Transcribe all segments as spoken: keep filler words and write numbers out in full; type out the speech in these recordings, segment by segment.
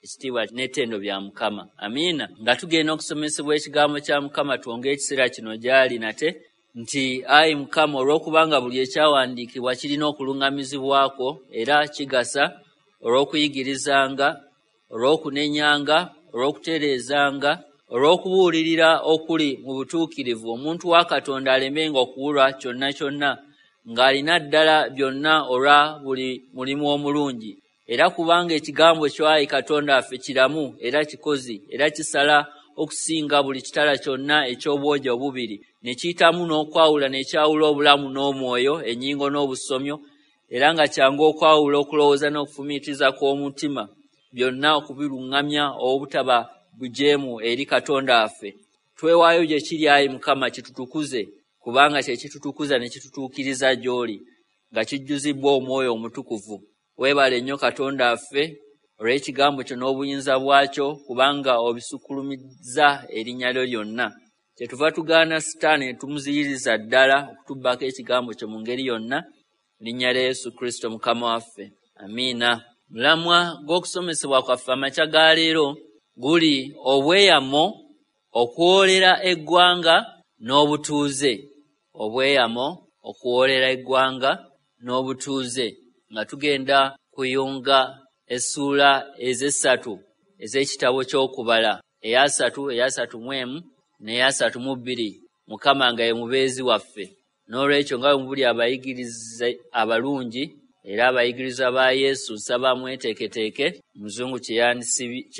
Ekitiibwa n'ettendo bya Mukama. Amiina. Nga tugenda okusomesebwa ekigambo kya Mukama, twongere ekiseera kino gy'ali nate nti ayi Mukama, olw'okubanga buli ekyawandiikibwa kirina okuluŋŋamizibwako era kigasa olw'okuyigirizanga, olw'okunenyanga, olw'okutereezanga, olw'okubuulirira okuli mu butuukirivu, omuntu wa Katonda alemenga okuwulwa kyonna kyonna, ng'alina ddala byonna olwa buli mulimu omulungi. Era kubanga ekigambo kyo ayi Katonda waffe kiramu era kikozi era kisala okusinga buli kitala kyonna eky'obwogi obubiri, ne kiyitamu n'okwawula n'ekyawula obulamu n'omwoyo, ennyingo n'obusomyo, era nga kyangu okwawula okulowooza n'okufumiitiriza kw'omutima, byonna okubiruŋŋamya obutaba bujeemu eri Katonda waffe. Twewaayo gye kiri ayi Mukama, kitutukuze, kubanga kye kitutukuza ne kitutuukiriza gy'oli, nga kijjuzibbwa Omwoyo Omutukuvu. Weebale nnyo Katonda waffe olw'ekigambo kyo n'obuyinza bwakyo, kubanga obisukkulumizza erinnya lyo lyonna. Kyetuva tugaana Sitaani ne tumuziyiriza ddala okutubbako ekigambo kyo mu ngeri yonna, linnya lya Yesu Kristo Mukama waffe. Amiina. Mulamwa gw'okusomesebwa kwaffe amakya ga leero guli obweyamo okuwoolera eggwanga n'obutuuze. Obweyamo okuwoolera eggwanga n'obutuuze, nga tugenda kuyunga essuula ez'essatu ez'ekitabo ky'okubala, eyasatu, eyasatu mu emu n'eyasatu mu bbiri, Mukama nga ye mubeezi waffe. N'olwekyo nga bwe mubuli abayigirize abalungi era abayigirizwa ba Yesu, nsaba mweteeketeeke. Omuzungu kye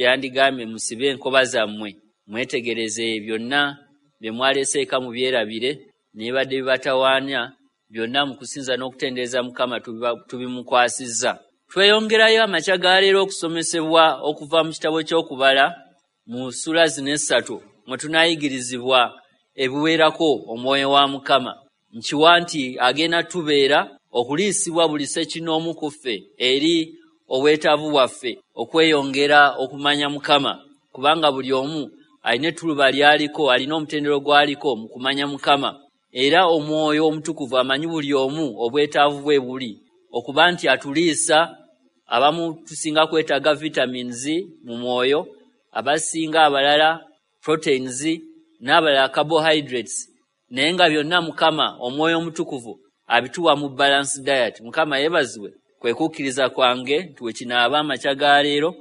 yandigambye, musibe enkoba zammwe, mwetegereze byonna bye mwaleese eka mubyerabire, n'ebibadde bibatawaanya byonna mu kusinza n'okutendereza Mukama tubimukwasizza. Tweyongerayo amakya ga leero okusomesebwa okuva mu kitabo ky'okubala mu ssuula zino essatu mwe tunaayigirizibwa ebiwerako omwoyo wa Mukama. Nkiwa nti agenda tubeera okuliisibwa buli ssekinnoomu ku ffe eri obwetaavu bwaffe okweyongera okumanya Mukama, kubanga buli omu alina ettuluba ly'aliko, alina omutendero gw'aliko mu kumanya Mukama. Era Omwoyo Omutukuvu amanyi buli omu obwetaavu bwe buli, okuba nti atuliisa. Abamu tusinga kwetaaga vitamins mu mwoyo, abasinga abalala proteins, n'abalala carbohydrates, naye nga byonna Mukama Omwoyo Omutukuvu abituwa mu balanced diet. Mukama yeebazibwe. Kwe kukkiriza kwange nti we kinaaba amakya ga leero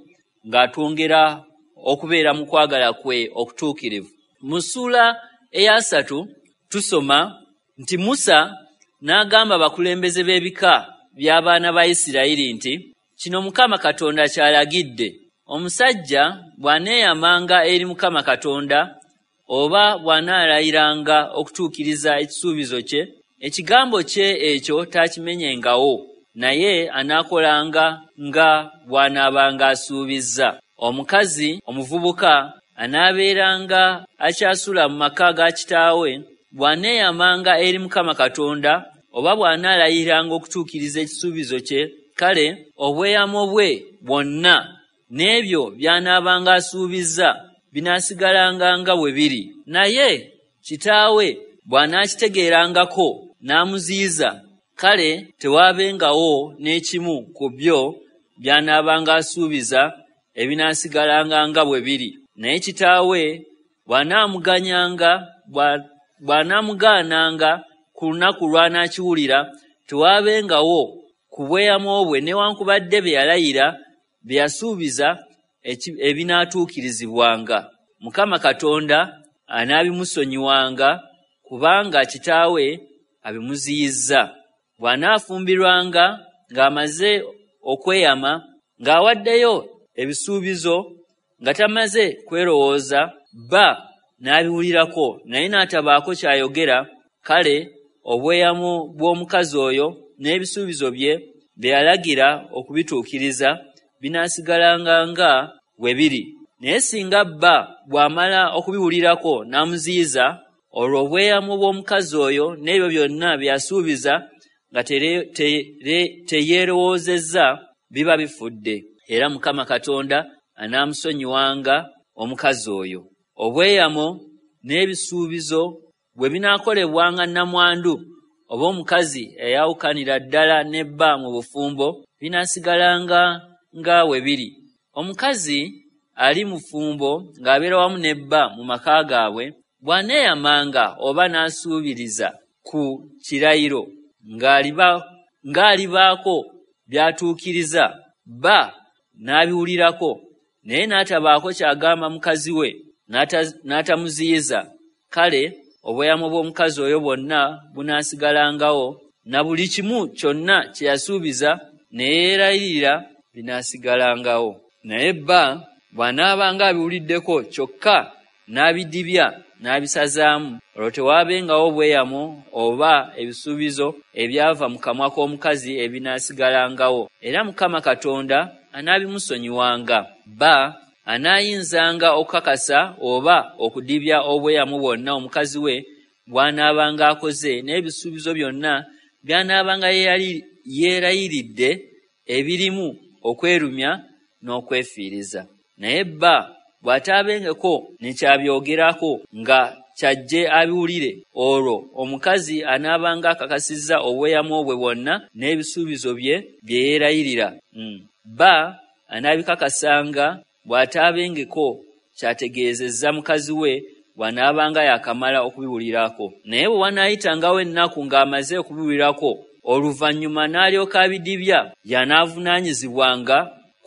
ng'atwongera okubeera mu kwagala kwe okutuukirivu. Mu ssuula eyasatu tusoma nti Musa n'agamba abakulembeze b'ebika by'abaana ba Isirayiri nti kino Mukama Katonda ky'alagidde, omusajja bw'aneeyamanga eri Mukama Katonda oba bw'anaalayiranga okutuukiriza ekisuubizo kye, ekigambo kye ekyo taakimenyengawo, naye anaakolanga nga bw'anaabanga asuubizza. Omukazi omuvubuka anaabeeranga akyasula mu maka ga kitaawe, bw'aneeyamanga eri Mukama Katonda oba bw'anaalayiranga okutuukiriza ekisuubizo kye, kale obweyamo bwe bwonna n'ebyo by'anaabanga asuubizza binaasigalanga nga bwe biri. Naye kitaawe bw'anaakitegeerangako n'amuziyiza, kale tewaabengawo n'ekimu ku byo by'anaabanga asuubiza ebinaasigalanga nga bwe biri. Naye kitaawe bw'anaamuganyanga bw'anaamugaananga ku lunaku lw'anaakiwulira, tewaabengawo ku bweyamo bwe newankubadde bye yalayira bye yasuubiza ebinaatuukirizibwanga. Mukama Katonda anaabimusonyiwanga, kubanga kitaawe abimuziyizza. Bw'anaafumbirwanga ng'amaze okweyama, ng'awaddeyo ebisuubizo nga tamaze kwerowooza, bba n'abiwulirako naye n'atabaako ky'ayogera, kale obweyamo bw'omukazi oyo n'ebisuubizo bye bye yalagira okubituukiriza binaasigalanga nga bwe biri. Naye singa bba bw'amala okubiwulirako n'amuziyiza, olwo obweyamo bw'omukazi oyo n'ebyo byonna bye yasuubiza nga teyeerowoozezza biba bifudde, era Mukama Katonda anaamusonyiwanga omukazi oyo. Obweyamo n'ebisuubizo bwe binaakolebwanga nnamwandu oba omukazi eyawukanira ddala ne bba mu bufumbo, binaasigalanga nga bwe biri. Omukazi ali mufumbo ng'abeera wamu ne bba mu maka gaabwe, bw'aneeyamanga oba n'asuubiriza ku kirayiro ng'alibaako by'atuukiriza, bba n'abiwulirako, naye n'atabaako ky'agamba mukazi we, n'atamuziyiza, kale obweyamo bw'omukazi oyo bwonna bunaasigalangawo, na buli kimu kyonna kye yasuubiza ne yeerayirira binaasigalangawo. Naye bba bw'anaabanga abiwuliddeko kyokka n'abidibya n'abisazaamu, olwo tewaabengawo bweyamo oba ebisuubizo ebyava mu kamwa k'omukazi ebinaasigalangawo, era Mukama Katonda anaabimusonyiwanga. Bba anaayinzanga okukakasa oba okudibya obweyamo bwonna omukazi we bw'anaabanga akoze, n'ebisuubizo byonna by'anaabanga yeerayiridde ebirimu okwerumya n'okwefiiriza. Naye bba bw'ataabengeko ne kyabyogerako nga kyajje abiwulire, olwo omukazi anaabanga akakasizza obweyamo bwe bwonna n'ebisuubizo bye bye yeerayirira. Bba anaabikakasanga bw'ataabengeko kyategeezezza mukazi we bw'anaabanga yakamala okubiwulirako. Naye bwe wanaayitangawo ennaku ng'amaze okubiwulirako, oluvannyuma n'alyoka abidibya, y'anaavunaanyizibwanga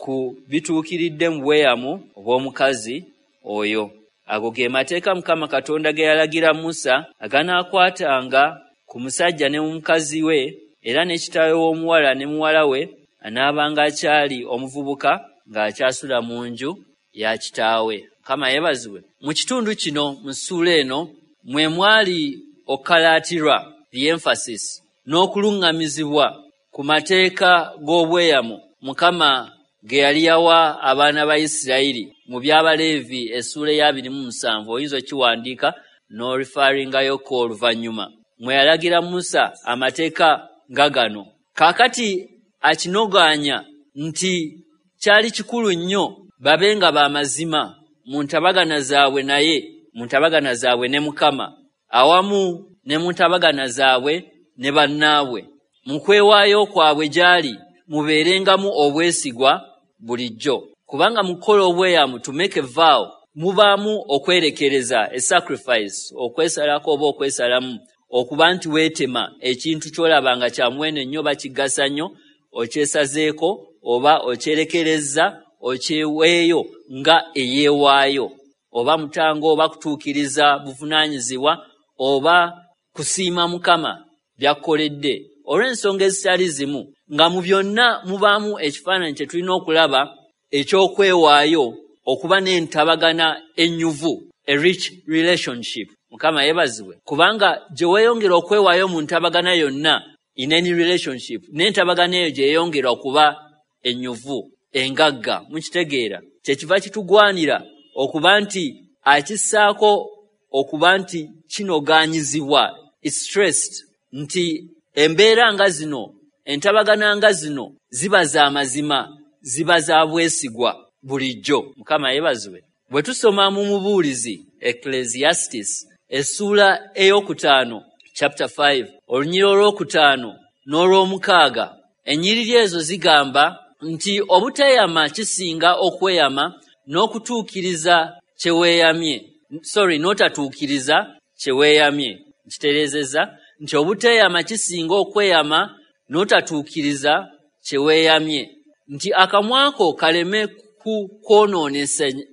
ku bituukiridde mu bweyamo obw'omukazi oyo. Ago ge mateeka Mukama Katonda ge yalagira Musa aganaakwatanga ku musajja ne mukazi we, era ne kitaawe w'omuwala ne muwala we anaabanga akyali omuvubuka ng'akyasula mu nju ya kitaawe. Mukama yeebazibwe. Mu kitundu kino, mu ssuula eno, mwe mwali okkalaatirwa, the emphasis, n'okuluŋŋamizibwa ku mateeka g'obweyamo Mukama ge yali yawa abaana ba Isirayiri mu by'Abaleevi essuula eya abiri mu musanvu, oyinza okiwandiika n'orifaringayoko oluvannyuma, mwe yalagira Musa amateeka nga gano. Kaakati akinogaanya nti kyali kikulu nnyo babe nga b'amazima mu ntabagana zaabwe naye, mu ntabagana zaabwe ne Mukama, awamu ne mu ntabagana zaabwe ne bannaabwe. Mu kwewaayo kwabwe gy'ali mubeerengamu obwesigwa bulijjo, kubanga mu kukola obweyamu, to make a vow, mubaamu okwerekereza, a sacrifice, okwesalako oba okwesalamu, okuba nti weetema ekintu ky'olaba nga kya muwendo nnyo oba kigasa nnyo, okyesazeeko oba okyerekereza, okyeweeyo nga eyeewaayo, oba mutango oba kutuukiriza buvunaanyizibwa oba kusiima Mukama by'akukoledde olw'ensonga ezitali zimu, nga mu byonna mubaamu ekifaananyi kye tulina okulaba eky'okwewaayo okuba n'entabagana ennyuvu, a rich relationship. Mukama yeebazibwe, kubanga gye weeyongera okwewaayo mu ntabagana yonna, in any relationship, n'entabagana eyo gye yeeyongera okuba ennyuvu, engagga. Mukitegeera? Kyekiva kitugwanira okuba nti akissaako okuba nti kinogaanyizibwa, it's stressed, nti embeera nga zino, entabagana nga zino ziba za mazima, ziba za bwesigwa bulijjo. Mukama yeebazibwe. Bwe tusoma mu Mubuulizi, Ecclesiastes, essuula ey'okutaano, chapter five, olunyiriri olwokutaano n'olwomukaaga, ennyiriri ezo zigamba nti obuteeyama kisinga okweyama n'okutuukiriza kye weeyamye. Sorry, n'otatuukiriza kye weeyamye. Nkitereezezza nti obuteeyama kisinga okweyama n'otatuukiriza kye weeyamye, nti akamwa ko kaleme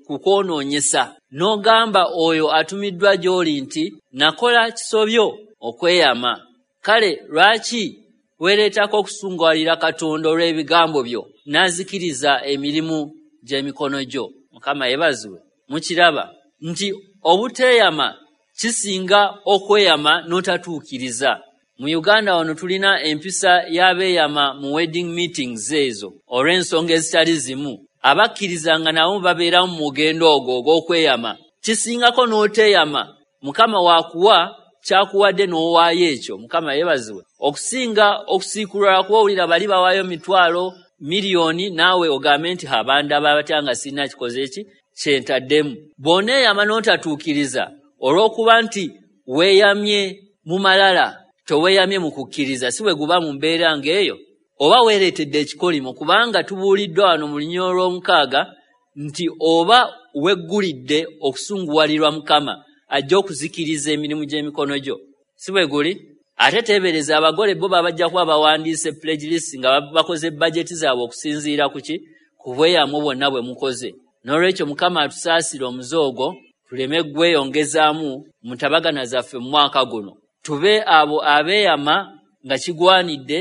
kukwonoonyesa, n'ogamba oyo atumiddwa gy'oli nti nakola kisobyo okweyama. Kale lwaki weereetako okusunguwalira Katonda olw'ebigambo byo, n'azikiriza emirimu gy'emikono gyo? Mukama yeebazibwe. Mukiraba nti obuteeyama kisinga okweyama n'otatuukiriza. Mu Uganda wano tulina empisa y'abeeyama mu wedding meetings ezo olw'ensonga ezitali zimu. Abakkiriza nga nabo babeeramu mu mugendo ogwo ogw'okweyama. Kisingako n'oteeyama, Mukama waakuwa kyakuwadde n'owaayo ekyo. Mukama yeebazibwe. Okusinga okusiikulula kuba owulira bali bawaayo mitwalo miliyoni, naawe ogambe nti abandaba batya nga sirina kikoze ki kyentaddemu. Bw'oneeyama n'otatuukiriza olw'okuba nti weeyamye mu malala, toweeyamye mu kukkiriza, si bwe guba mu mbeera ng'eyo, oba weereetedde ekikolimo, kubanga tubuuliddwa wano mu lunyiriri olw'omukaaga nti oba weggulidde okusunguwalirwa Mukama ajja okuzikiriza emirimu gy'emikono gyo. Si bwe guli? Ate teebereza abagole bo babajja kuba bawandiise pledge list nga bakoze bajeti zaabwe okusinziira ku ki? Ku bweyamo bwonna bwe mukoze. N'olwekyo Mukama atusaasire omuze ogwo tuleme gweyongezaamu mu ntabagana zaffe mu mwaka guno. Tube abo abeeyama nga kigwanidde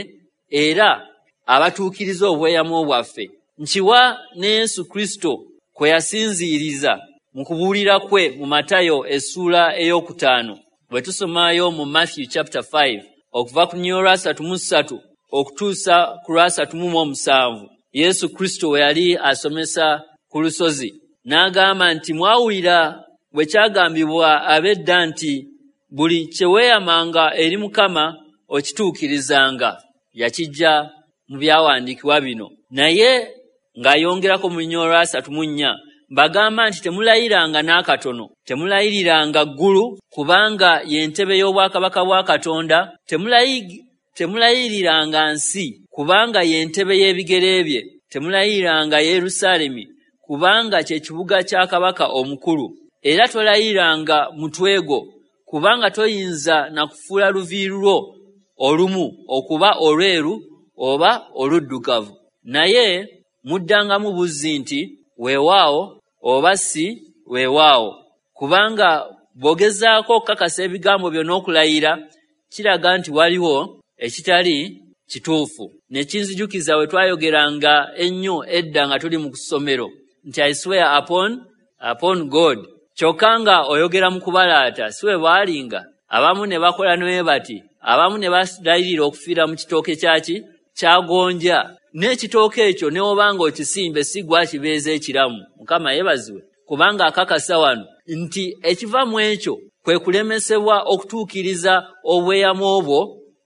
era abatuukiriza obweyamo bwaffe. Nkiwa ne Yesu Kristo kwe yasinziiriza mu kubuulira kwe mu Matayo essuula ey'okutaano. Bwe tusomayo mu Matthew chapter five okuva ku nnyo lwasatu mu ssatu okutuusa ku lwasatu mu omusanvu, Yesu Kristo we yali asomesa ku lusozi n'agamba nti mwawulira bwe kyagambibwa ab'edda nti buli kye weeyamanga eri Mukama okituukirizanga. Yakijja mu byawandiikibwa bino. Naye ng'ayongerako mu nnyo lwasatu mu nnya, mbagamba nti temulayiranga n'akatono, temulayiriranga ggulu, kubanga y'entebe y'obwakabaka bwa Katonda, temulayiriranga nsi, kubanga y'entebe y'ebigere bye, temulayiriranga Yerusaalemi, kubanga kye kibuga kya kabaka omukulu. Era tolayiranga mutwe gwo, kubanga toyinza na kufuula luviiri lwo olumu okuba olweru oba oluddugavu. Naye muddangamu buzzi nti weewaawo oba si weewaawo, kubanga bw'ogezaako okukakasa ebigambo byo n'okulayira kiraga nti waliwo ekitali kituufu. Ne kinzijukiza we twayogeranga ennyo edda nga tuli mu ssomero nti I swear upon, upon God. Kyokka nga oyogera mu kubalaata, si we bwalinga. Abamu ne bakola ne bati, abamu ne balayirira okufiira mu kitooke kyaki kyagonja. N'ekitooke ekyo ne obanga okisimbe si gwa kibeeza ekiramu. Mukama yeebazibwe, kubanga akakasa wano nti ekiva mu ekyo kwe kulemesebwa okutuukiriza obweyamo obwo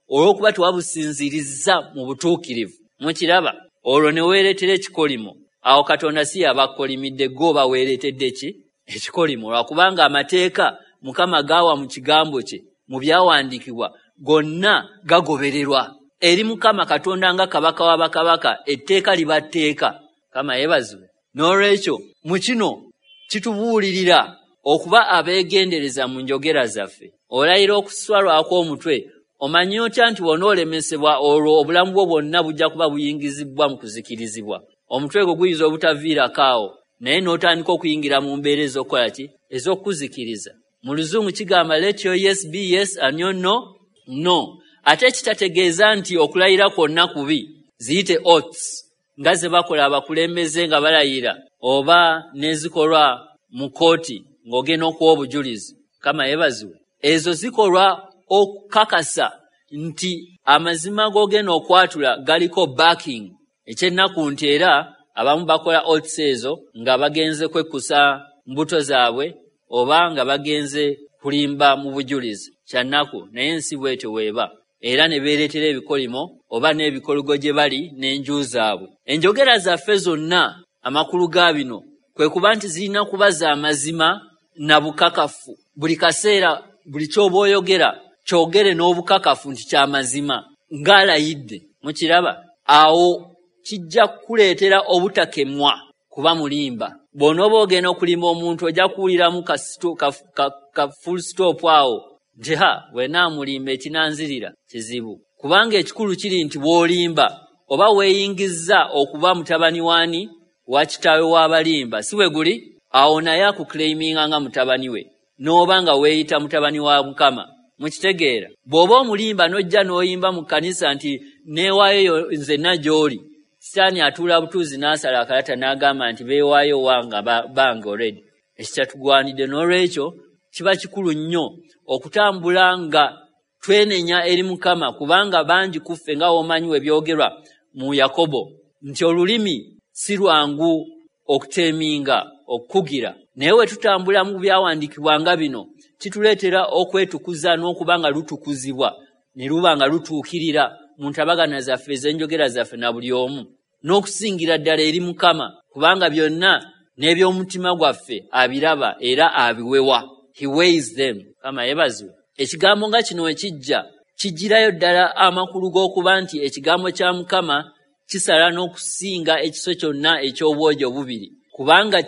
olw'okuba tewabusinzirizza mu butuukirivu. Mukiraba? Olwo ne weereetera ekikolimo. Awo Katonda si yabakolimidde, gwe oba weereetedde ki? Ekikolimo. Lwakubanga amateeka Mukama gaawa mu kigambo kye mu byawandiikibwa gonna gagobererwa. Eri Mukama Katonda nga kabaka wa bakabaka, etteeka liba tteeka. Mukama yeebazibwe. N'olwekyo mu kino kitubuulirira okuba abeegendereza mu njogera zaffe. Olayira okuswalwako omutwe, omanyi otya nti bw'onoolemesebwa olwo obulamu bwo bwonna bujja kuba buyingizibwa mu kuzikirizibwa. Omutwe gwo guyinza obutaviirako awo, naye n'otandika okuyingira mu mbeera ez'okukola ki? Ez'okuzikiriza. Mu Luzungu kigamba let your yes be yes and your no, no. Ate kitategeeza nti okulayira kwonna kubi, ziyite oaths nga ze bakola abakulembeze nga balayira oba n'ezikolwa mu kkooti ng'ogenda okuwa obujulizi. Mukama yeebazibwe. Ezo zikolwa okukakasa nti amazima g'ogenda okwatula galiko backing. Ekyennaku nti era abamu bakola oaths ezo nga bagenze kwekkusa mbuto zaabwe oba nga bagenze kulimba mu bujulizi. Kyannaku, naye ensi bw'etyo weeba. Era ne beereetera ebikolimo oba n'ebikoligo gye bali n'enju zaabwe. Enjogera zaffe zonna amakulu ga bino kwe kuba nti zirina kuba za mazima na bukakafu. Buli kaseera buli ky'oba oyogera kyogere n'obukakafu nti kya mazima ng'alayidde. Mukiraba? Awo kijja kukuleetera obutakemwa kuba mulimba. Bw'onooba ogenda okulimba omuntu ojja kuwuliramu ka, ka, ka, ka full stop awo nti ha bwe naamulimba ekinanzirira kizibu. Kubanga ekikulu kiri nti bw'olimba oba weeyingizza okuba mutabani w'ani? Wa kitaawe w'abalimba. Si bwe guli? Awo naye akuclaiminga nga mutabani we, n'oba nga weeyita mutabani wa Mukama. Mukitegeera? Bw'oba omulimba n'ojja n'oyimba mu kkanisa nti neewaayo nzenna gy'oli, Sitaani atuula butuuzi n'asala akalata n'agamba nti beewaayo wanga bange already. Ekitatugwanidde. N'olwekyo kiba kikulu nnyo okutambula nga twenenya eri Mukama, kubanga bangi ku ffe nga w'omanyi we byogerwa mu Yakobo nti olulimi si lwangu okuteeminga, okukugira. Naye we tutambula mu byawandiikibwa nga bino kituleetera okwetukuza n'okuba nga lutukuzibwa ne luba nga lutuukirira mu ntabagana zaffe ez'enjogera zaffe na buli omu, n'okusingira ddala eri Mukama, kubanga byonna n'eby'omutima gwaffe abiraba era abiwewa. He weighs them. Mukama yeebazibwe. Ekigambo nga kino ekijja kijjirayo ddala amakulu g'okuba nti ekigambo kya Mukama kisala n'okusinga ekiso kyonna eky'obwogi obubiri, Kubanga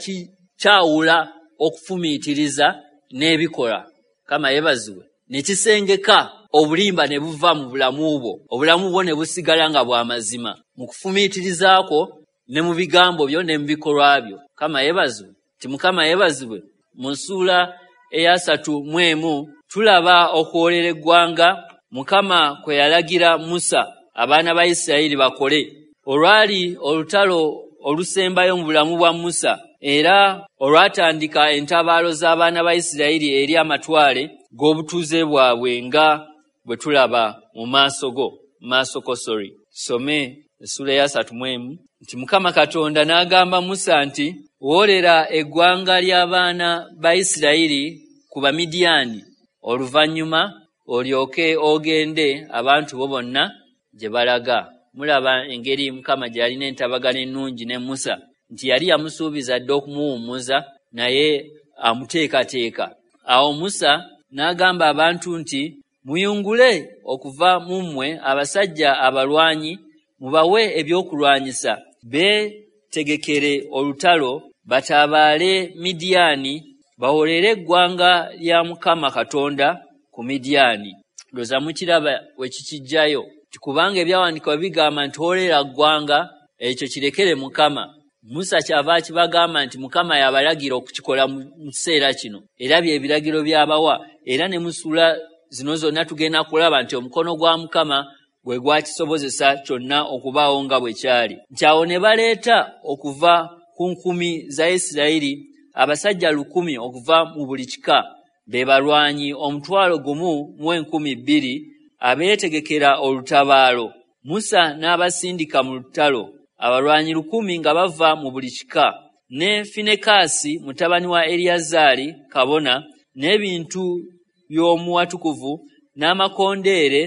kyawula okufumiitiriza n'ebikola. Mukama yeebazibwe. Ne kisengeka obulimba ne buva mu bulamu bwo, obulamu bwo ne busigala nga bwa mazima mu kufumiitirizaako ne mu bigambo byo ne mu bikolwa byo. Mukama yeebazibwe. Nti Mukama yeebazibwe. Mu ssuula eyasatu mu emu tulaba okuwoolera eggwanga Mukama kwe yalagira Musa abaana ba Isirayiri bakole. Olwali olutalo olusembayo mu bulamu bwa Musa, era olwatandika entabaalo z'abaana ba Isirayiri eri amatwale g'obutuuze bwabwe nga bwe tulaba mu maaso go maaso ko sorry. Tusome essuula eyasatu mu emu nti Mukama Katonda n'agamba Musa nti woolera eggwanga ly'abaana ba Isirayiri ku Bamidiyaani, oluvannyuma olyoke ogende abantu bo bonna gye balaga. Mulaba engeri Mukama gye yalina entabagano ennungi ne Musa, nti yali yamusuubiza dda okumuwummuza naye amuteekateeka. Awo Musa n'agamba abantu nti muyungule okuva mu mmwe abasajja abalwanyi, mubawe ebyokulwanyisa, beetegekere olutalo, batabaale Midiyaani, bawolere eggwanga lya Mukama Katonda ku Midiyaani. Ndowooza mukiraba we kikijjayo, nti kubanga ebyawandiikibwa bigamba nti wolera ggwanga, ekyo kirekere Mukama. Musa kyava akibagamba nti Mukama yabalagira okukikola mu kiseera kino, era bye biragiro by'abawa. Era ne mu ssuula zino zonna tugenda kulaba nti omukono gwa Mukama gwe gwakisobozesa kyonna okubaawo nga bwe kyali. Nti awo ne baleeta okuva ku nkumi za Isirayiri abasajja lukumi okuva mu buli kika, be balwanyi omutwalo gumu mu enkumi bbiri abeetegekera olutabaalo. Musa n'abasindika mu lutalo, abalwanyi lukumi nga bava mu buli kika, ne Finekaasi mutabani wa Eriyazaali kabona, n'ebintu by'omuwatukuvu n'amakondeere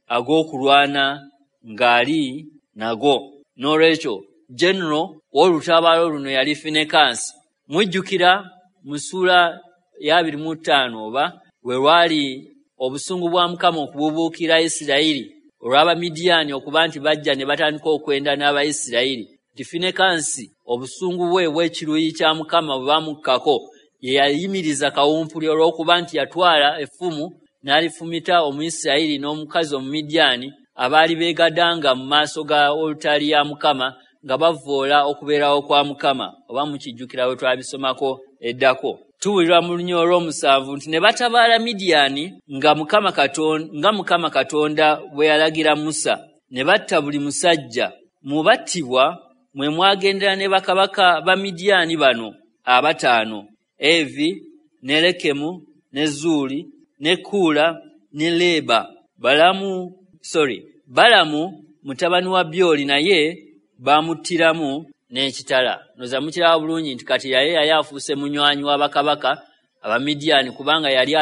ag'okulwana ng'ali nago. N'olwekyo general w'olutabaalo luno yali Finekaasi. Mujjukira mu ssuula ya abiri mu ttaano oba we lwali obusungu bwa Mukama okubuubuukira Isirayiri olw'Abamidiyaani okuba nti bajja ne batandika okwenda n'Abayisirayiri. Nti Finekaasi obusungu bwe bw'ekiruyi kya Mukama bwe bamukkako, ye yayimiriza kawumpuli olw'okuba nti yatwala effumu n'alifumita Omuyisirayiri n'omukazi Omumidiyaani abaali beegadanga mu maaso ga olutaali ya Mukama nga bavvoola okubeerawo kwa Mukama. Oba mukijjukira bwe twabisomako eddako. Tuwulirwa mu lunya olw'omusanvu nti ne batabaala Midiyaani nga Mukama Katonda, nga Mukama Katonda bwe yalagira Musa, ne batta buli musajja. Mu battibwa mwe mwagendera ne bakabaka ba Midiyaani bano abataano: Evi, ne Lekemu, ne Zuuli, ne Kuula, ne Leeba. Balamu, sorry, Balamu mutabani wa Byoli naye bamuttiramu n'ekitala. Ndowooza mukiraba bulungi nti kati yali yali afuuse munywanyi wa bakabaka Abamidiyaani, kubanga yali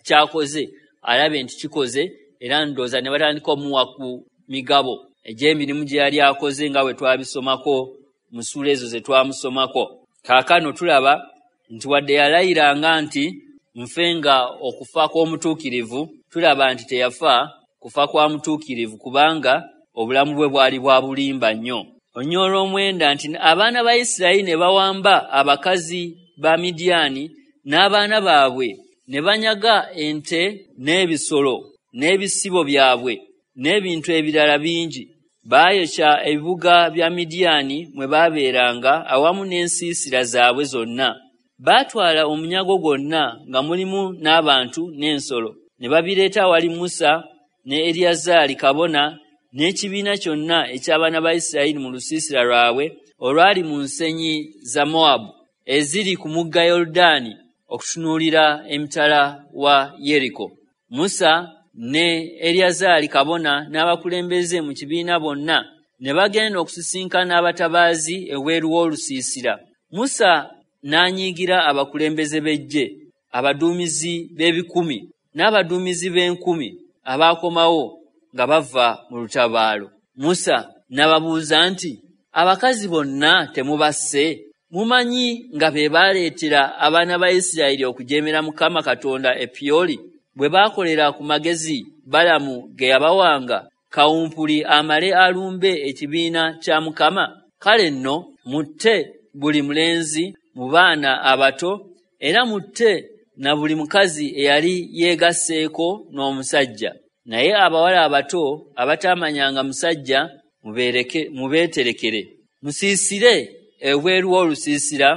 kyakoze alabe nti kikoze, era ndowooza ne batandika omuwa ku migabo egy'emirimu gye yali akoze nga bwe twabisomako mu ssuula ezo ze twamusomako. Kaakano tulaba nti wadde yalayiranga nti nfe nga okufa kw'omutuukirivu, tulaba nti teyafa kufa kwa mutuukirivu, kubanga obulamu bwe bwali bwa bulimba nnyo. Olunya olw'omwenda nti abaana ba Isirayiri ne bawamba abakazi ba Midiyaani n'abaana baabwe, ne banyaga ente n'ebisolo n'ebisibo byabwe n'ebintu ebirala bingi. Baayokya ebibuga bya Midiyaani mwe baabeeranga awamu n'ensiisira zaabwe zonna. Baatwala omunyago gwonna nga mulimu n'abantu n'ensolo, ne babireeta awali Musa ne Eriyazaali kabona n'ekibiina kyonna eky'abaana ba Isirayiri mu lusiisira lwabwe olwali mu nsenyi za Mowabu eziri ku mugga Yoludaani okutunuulira emitala wa Yeriko. Musa ne Eriyazaali kabona n'abakulembeze mu kibiina bonna ne bagenda okusisinkana abatabaazi ebweru w'olusiisira. Musa n'anyiigira abakulembeze b'eggye, abaduumizi b'ebikumi n'abaduumizi b'enkumi abaakomawo nga bava mu lutabaalo. Musa n'ababuuza nti, abakazi bonna temubasse? Mumanyi nga be baleetera abaana ba Isirayiri okujeemera Mukama Katonda e Pyoli, bwe baakolera ku magezi Balamu ge yabawanga, kawumpuli amale alumbe ekibiina kya Mukama? Kale nno mutte buli mulenzi mu baana abato, era mutte na buli mukazi eyali yeegasseeko n'omusajja. Naye abawala abato abataamanyanga musajja mubeereke mubeeterekere. Musiisire ebweru w'olusiisira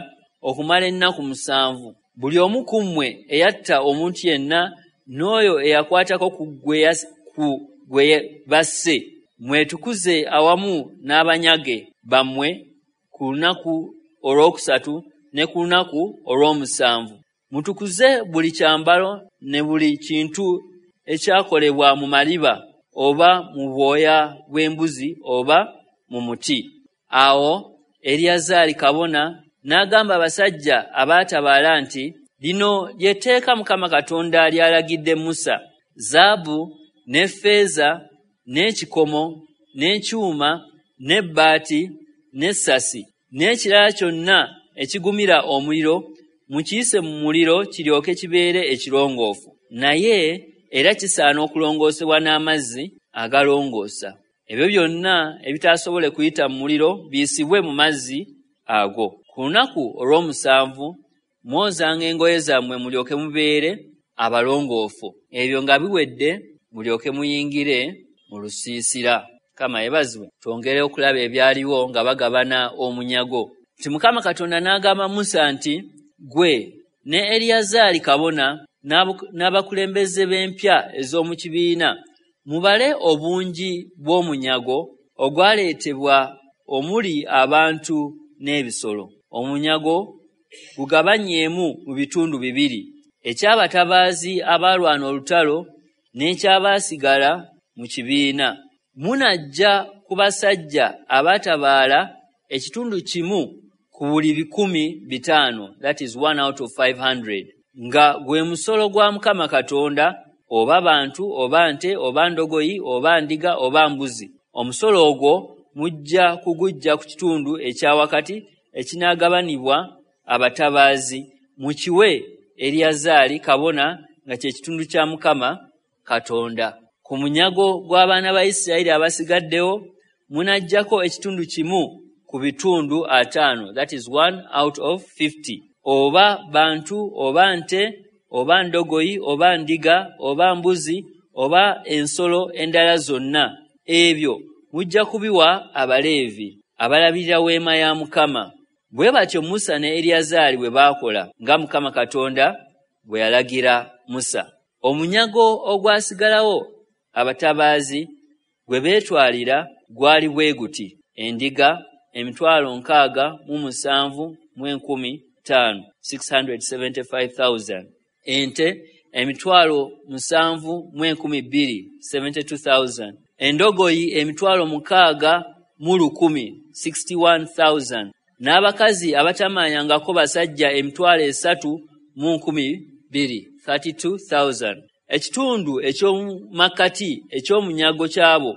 okumala ennaku musanvu. Buli omu ku mmwe eyatta omuntu yenna n'oyo eyakwatako ku gwe ku gwe basse, mwetukuze awamu n'abanyage bammwe ku lunaku olwokusatu ne ku lunaku olw'omusanvu. Mutukuze buli kyambalo ne buli kintu ekyakolebwa mu maliba oba mu bwoya bw'embuzi oba mu muti. Awo Eriyazaali kabona n'agamba abasajja abaatabaala nti, lino ly'etteeka Mukama Katonda ly'alagidde Musa: zaabu ne ffeeza n'ekikomo n'ekyuma n'ebbaati n'essasi n'ekirala kyonna ekigumira omuliro, mukiyise mu muliro kiryoke kibeere ekirongoofu. Naye era kisaana okulongoosebwa n'amazzi agalongoosa. Ebyo byonna ebitaasobole kuyita mu muliro biyisibwe mu mazzi ago. Ku lunaku olw'omusanvu mwozanga engoye zammwe mulyoke mubeere abalongoofu. Ebyo nga biwedde mulyoke muyingire mu lusiisira. Mukama yeebazibwe. Twongere okulaba ebyaliwo nga bagabana omunyago. Nti Mukama Katonda n'agamba Musa nti, ggwe ne Eriyazaali kabona n'abakulembeze b'empya ez'omu kibiina mubale obungi bw'omunyago ogwaleetebwa omuli abantu n'ebisolo. Omunyago gugabanyeemu mu bitundu bibiri, eky'abatabaazi abaalwana olutalo n'eky'abaasigala mu kibiina. Munajja ku basajja abaatabaala ekitundu kimu ku buli bikumi bitaano, that is one out of five hundred, nga gwe musolo gwa Mukama Katonda, oba bantu oba nte oba ndogoyi oba ndiga oba mbuzi. Omusolo ogwo mujja kugujja ku kitundu ekya wakati ekinaagabanibwa abatabaazi, mukiwe Eriyazaali kabona nga kye kitundu kya Mukama Katonda. Ku munyago gw'abaana ba Isirayiri abasigaddewo munaggyako ekitundu kimu ku bitundu ataano, that is one out of fifty, oba bantu oba nte oba ndogoyi oba ndiga oba mbuzi oba ensolo endala zonna. Ebyo mujja kubiwa Abaleevi abalabirira weema ya Mukama. Bwe batyo Musa ne Eriyazaali bwe baakola nga Mukama Katonda bwe yalagira Musa. Omunyago ogwasigalawo abatabaazi gwe beetwalira gwali bwe guti: endiga emitwalo nkaaga mu musanvu mu enkumi ttaano, six hundred seventy-five thousand, ente emitwalo musanvu mu enkumi bbiri, seventy-two thousand, endogoyi emitwalo mukaaga mu lukumi, sixty-one thousand, n'abakazi abatamanyangako basajja emitwalo esatu mu nkumi bbiri, thirty-two thousand. Ekitundu eky'omu makkati eky'omunyago ky'abo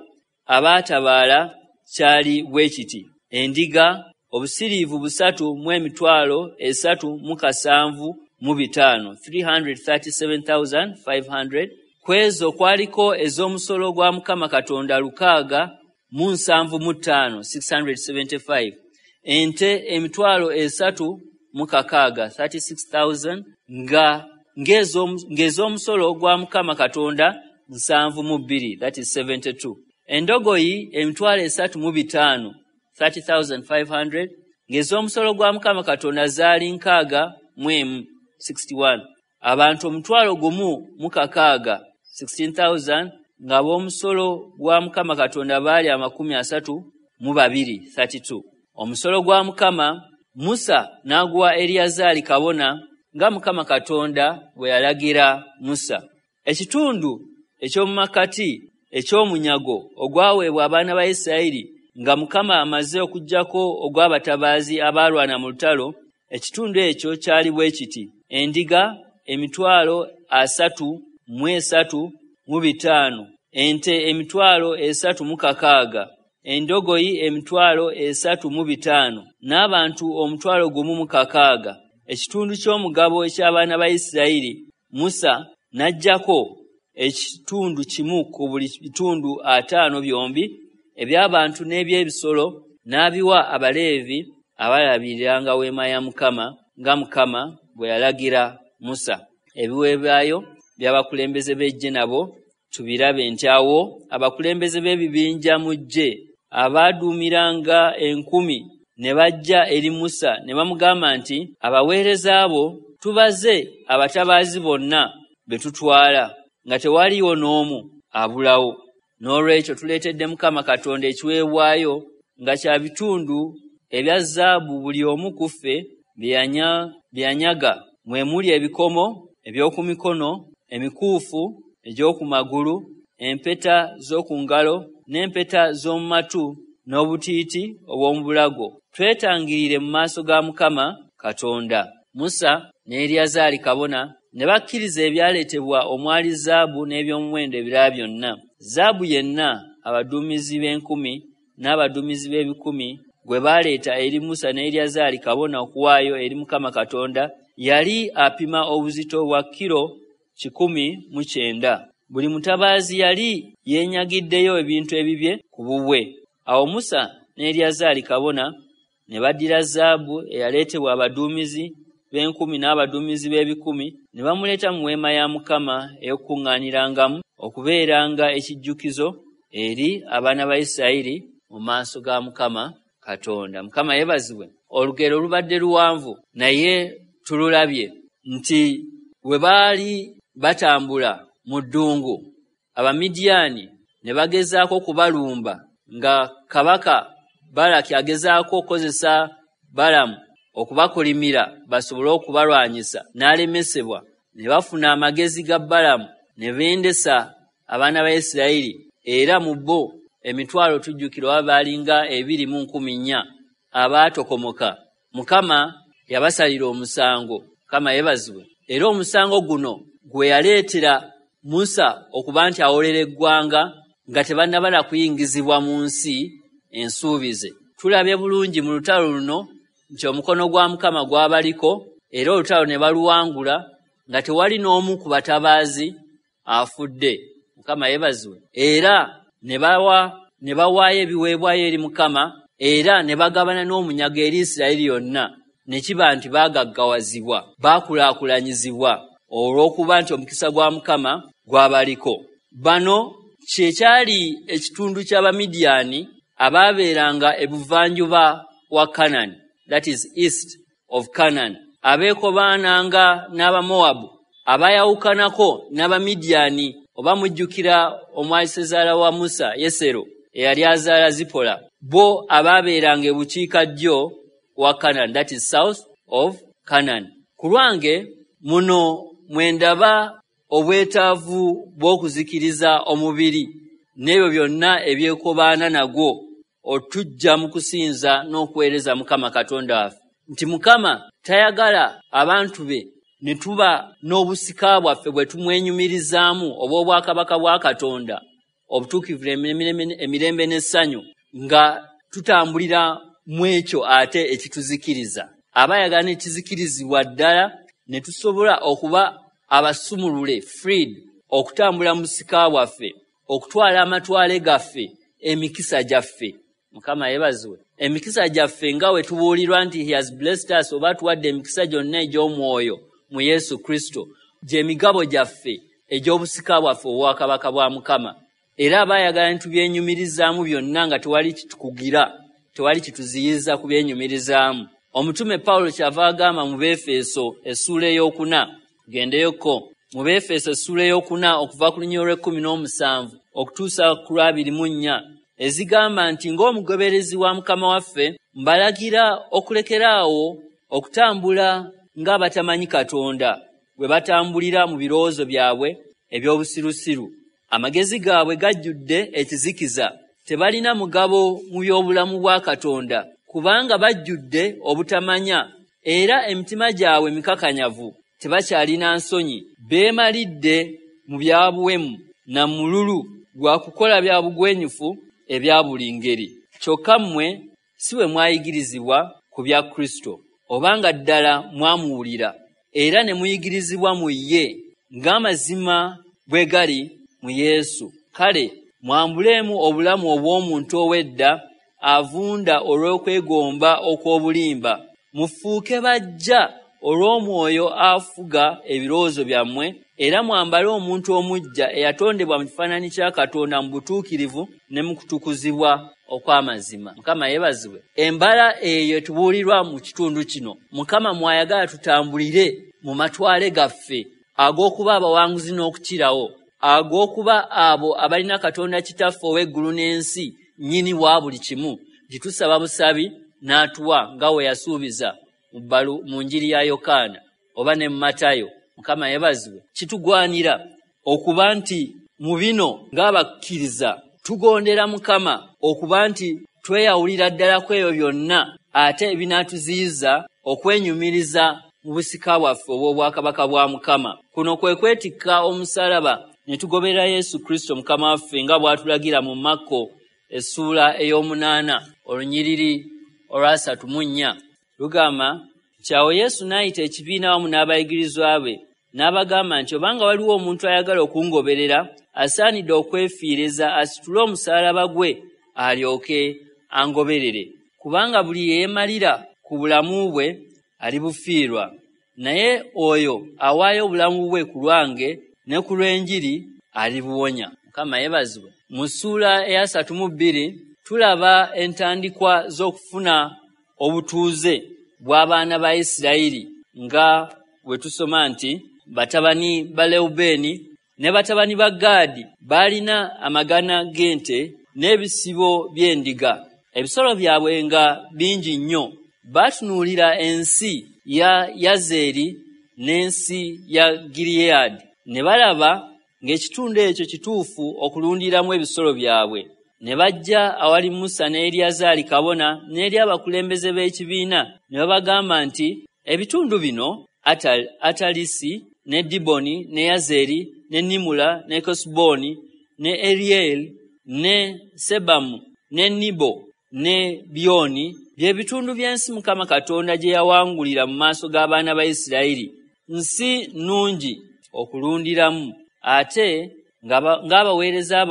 abaatabaala kyali bwe kiti: endiga obusiriivu busatu mu emitwalo esatu mu kasanvu mu bitaano, three hundred thirty-seven thousand five hundred. Ku ezo kwaliko ez'omusolo gwa Mukama Katonda lukaaga mu nsanvu mu ttaano, six hundred seventy-five, ente emitwalo esatu mu kakaaga, thirty-six thousand, nga ng'ez'omusolo gwa Mukama Katonda nsanvu mu bbiri, that is seventy-two, endogoyi emitwalo esatu mu bitaano, thirty thousand five hundred, ng'ez'omusolo gwa Mukama Katonda zaali nkaaga mu emu, sixty-one, abantu omutwalo gumu mu kakaaga, sixteen thousand, ng'ab'omusolo gwa Mukama Katonda baali amakumi asatu mu babiri, thirty-two. Omusolo gwa Mukama Musa n'aguwa Eriyazaali kabona nga Mukama Katonda bwe yalagira Musa. Ekitundu eky'omu makkati eky'omunyago ogwaweebwa abaana ba Isirayiri nga Mukama amaze okuggyako ogw'abatabaazi abaalwana mu lutalo, ekitundu ekyo kyali bwe kiti: endiga emitwalo asatu mu esatu mu bitaano, ente emitwalo esatu mu kakaaga, endogoyi emitwalo esatu mu bitaano, n'abantu omutwalo gumu mu kakaaga. Ekitundu ky'omugabo eky'abaana ba Isirayiri Musa n'aggyako ekitundu kimu ku buli bitundu ataano byombi eby'abantu n'eby'ebisolo, n'abiwa Abaleevi abalabiriranga weema ya Mukama, nga Mukama bwe yalagira Musa. Ebiweebwayo by'abakulembeze b'eggye nabo tubirabe nti awo abakulembeze b'ebibinja mu ggye abaaduumiranga enkumi ne bajja eri Musa ne bamugamba nti, abaweereza abo tubaze abatabaazi bonna be tutwala, nga tewaliiwo n'omu abulawo. N'olwekyo tuleetedde Mukama Katonda ekiweebwayo nga kya bitundu ebya zaabu buli omu ku ffe bye yanyaga, mwe muli ebikomo eby'oku mikono, emikuufu egy'oku magulu, empeta z'oku ngalo n'empeta z'omu matu n'obutiiti obw'omu bulago. Twetangirire mu maaso ga Mukama Katonda. Musa ne Eriyazaali kabona ne bakkiriza ebyaleetebwa omwali zaabu n'ebyomuwendo ebirala byonna. Zaabu yenna abaduumizi b'enkumi n'abaduumizi b'ebikumi gwe baleeta eri Musa ne Eriyazaali kabona okuwaayo eri Mukama Katonda yali apima obuzito bwa kilo kikumi mu kyenda. Buli mutabaazi yali yeenyagiddeyo ebintu ebibye ku bubwe. Awo Musa ne Eriyazaali kabona ne baddira zaabu eyaleetebwa abaduumizi b'enkumi n'abaduumizi b'ebikumi ne bamuleeta mu weema ya Mukama ey'okukuŋŋaanirangamu okubeeranga ekijjukizo eri abaana ba Isirayiri mu maaso ga Mukama Katonda. Mukama yeebazibwe. Olugero lubadde luwanvu, naye tululabye nti bwe baali batambula mu ddungu, Abamidiyaani ne bagezaako okubalumba, nga kabaka Balaki agezaako okukozesa Balamu okubakolimira basobole okubalwanyisa, n'alemesebwa. Ne bafuna amagezi ga Balamu ne bendesa abaana ba Isirayiri, era mu bo emitwalo tujjukira oba baalinga ebiri mu nkumi nnya abaatokomoka. Mukama yabasalira omusango. Mukama yeebazibwe. Era omusango guno gwe yaleetera Musa okuba nti awolera eggwanga nga tebannabala kuyingizibwa mu nsi ensuubize. Tulabye bulungi mu lutalo luno nti omukono gwa Mukama gwabaliko, era olutalo ne baluwangula nga tewali n'omu ku batabaazi afudde. Mukama yeebazibwe. Era ne bawa ne bawaayo ebiweebwayo eri Mukama, era ne bagabana n'omunyago eri Isirayiri yonna, ne kiba nti baagaggawazibwa, baakulaakulanyizibwa olw'okuba nti omukisa gwa Mukama gwabaliko. Bano kye kyali ekitundu ky'Abamidiyaani abaabeeranga ebuvanjuba wa Kanani, that is east of Canaan, abeekobaananga n'Abamowabu abayawukanako n'Abamidiyaani. Oba mujjukira omwali ssezaala wa Musa, Yesero, eyali azaala Zipola, bo abaabeeranga ebukiikaddyo wa Canaan, that is south of Canaan. Ku lwange muno mwe ndaba obwetaavu bw'okuzikiriza omubiri n'ebyo byonna ebyekobaana nagwo otujja mu kusinza n'okuweereza Mukama Katonda waffe. Nti Mukama tayagala abantu be ne tuba n'obusika bwaffe bwe tumwenyumirizaamu obw'obwakabaka bwa Katonda, obutuukirivu emirembe n'essanyu, nga tutambulira mu ekyo ate ekituzikiriza. Aba ayagala ne kizikirizibwa ddala ne tusobola okuba abasumulule, freed, okutambula mu busika bwaffe, okutwala amatwale gaffe, emikisa gyaffe. Mukama yeebazibwe. Emikisa gyaffe nga we tubuulirwa nti he has blessed us, oba atuwadde emikisa gyonna egy'omwoyo mu Yesu Kristo, gy'emigabo gyaffe egy'obusika bwaffe obwakabaka bwa Mukama. Era aba ayagala ne tubyenyumirizaamu byonna nga tewali kitukugira, tewali kituziyiza kubyenyumirizaamu. Omutume Pawulo kyava agamba mu Beefeso essuula ey'okuna, tugendeyoko mu Beefeso essuula ey'okuna okuva ku lunyiriri lw'ekkumi n'omusanvu okutuusa ku lw'abiri mu nnya, ezigamba nti ng'omugoberezi wa Mukama waffe mbalagira okulekeraawo okutambula ng'abatamanyi Katonda bwe batambulira mu birowoozo byabwe eby'obusirusiru. Amagezi gaabwe gajjudde ekizikiza, tebalina mugabo mu by'obulamu bwa Katonda, kubanga bajjudde obutamanya, era emitima gyabwe mikakanyavu, tebakyalina nsonyi, beemalidde mu bya buwemu na mululu gwa kukola bya bugwenyufu ebya buli ngeri. Kyokka mmwe si bwe mwayigirizibwa ku bya Kristo, obanga ddala mwamuwulira era ne muyigirizibwa mu ye, ng'amazima bwe gali mu Yesu. Kale mwambuleemu obulamu obw'omuntu ow'edda avunda olw'okwegomba okw'obulimba. Mufuuke bajja olw'omwoyo afuga ebirowoozo byammwe, era mwambale omuntu omuggya eyatondebwa mu kifaananyi kya Katonda mu butuukirivu ne mu kutukuzibwa okw'amazima. Mukama yeebazibwe. Embala eyo etubuulirwa mu kitundu kino, Mukama mwayagala tutambulire mu matwale gaffe ag'okuba abawanguzi n'okukirawo, ag'okuba abo abalina Katonda Kitaffe ow'eggulu n'ensi, nnyini wa buli kimu, gitusaba busabi n'atuwa nga we yasuubiza mu njiri ya Yokaana oba ne mu Matayo. Mukama yeebazibwe. Kitugwanira okuba nti mu bino ng'abakkiriza tugondera Mukama, okuba nti tweyawulira ddala ku ebyo byonna ate ebinaatuziyiza okwenyumiriza mu busika bwaffe obw'obwakabaka bwa Mukama. Kuno kwe kwetikka omusaalaba ne tugoberera Yesu Kristo Mukama waffe nga bw'atulagira mu Makko essuula ey'omunaana olunyiriri olwasatu mu nnya. Lugamba nti awo Yesu n'ayita ekibiina wamu n'abayigirizwa be n'abagamba nti obanga waliwo omuntu ayagala okungoberera, asaanidde okwefiiriza asitule omusaalaba gwe alyoke angoberere. Kubanga buli yeemalira ku bulamu bwe alibufiirwa, naye oyo awaayo obulamu bwe ku lwange ne ku lw'enjiri alibuwonya. Mukama yeebazibwe. Mu ssuula eyasatu mu bbiri tulaba entandikwa z'okufuna obutuuze bw'abaana ba Isirayiri, nga bwe tusoma nti batabani ba Lewubeeni ne batabani ba Gaadi baalina amagana g'ente n'ebisibo by'endiga, ebisolo byabwe nga bingi nnyo. Baatunuulira ensi ya Yazeri n'ensi ya Gileyaadi, ne balaba ng'ekitundu ekyo kituufu okulundiramu ebisolo byabwe. Ne bajja awali Musa ne Eriyazaali kabona n'eri abakulembeze b'ekibiina, ne babagamba nti ebitundu bino Atal, Atalisi ne Diboni ne Yazeri ne Nimula ne Kesuboni ne Erieli ne Sebamu ne Nibo ne Byoni bye bitundu by'ensi Mukama Katonda gye yawangulira mu maaso g'abaana ba Isirayiri. Nsi nnungi okulundiramu, ate ng'abaweereza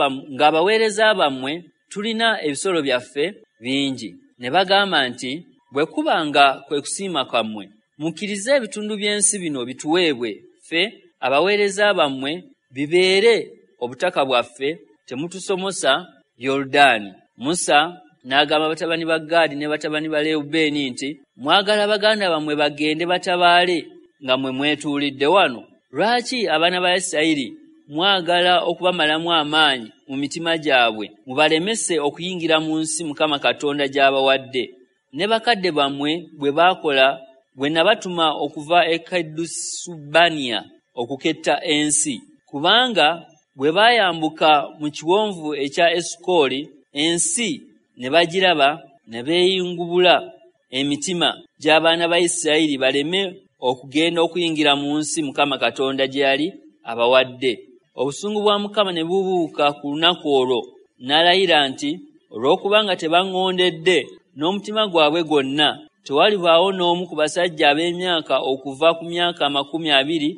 bammwe tulina ebisolo byaffe bingi. Ne bagamba nti bwe kuba nga kwe kusiima kwammwe, mukkirize ebitundu by'ensi bino bituweebwe ffe abaweereza bammwe, bibeere obutaka bwaffe, temutusomosa Yoludaani. Musa n'agamba batabani ba Gaadi ne batabani ba Lewubeeni nti mwagala baganda bammwe bagende batabaale nga mmwe mwetuulidde wano? Lwaki abaana ba Isirayiri mwagala okubamalamu amaanyi mu mitima gyabwe, mubalemese okuyingira mu nsi Mukama Katonda gy'abawadde? Ne bakadde bammwe bwe baakola bwe nabatuma okuva e Kadesubaniya okuketta ensi, kubanga bwe baayambuka mu kiwonvu ekya Esukoli, ensi ne bagiraba ne beeyingubula emitima gy'abaana ba Isirayiri baleme okugenda okuyingira mu nsi Mukama Katonda gye yali abawadde. Obusungu bwa Mukama ne bubuuka ku lunaku olwo, n'alayira nti olw'okubanga tebaŋŋondedde n'omutima gwabwe gwonna, tewalibaawo n'omu ku basajja ab'emyaka okuva ku myaka amakumi abiri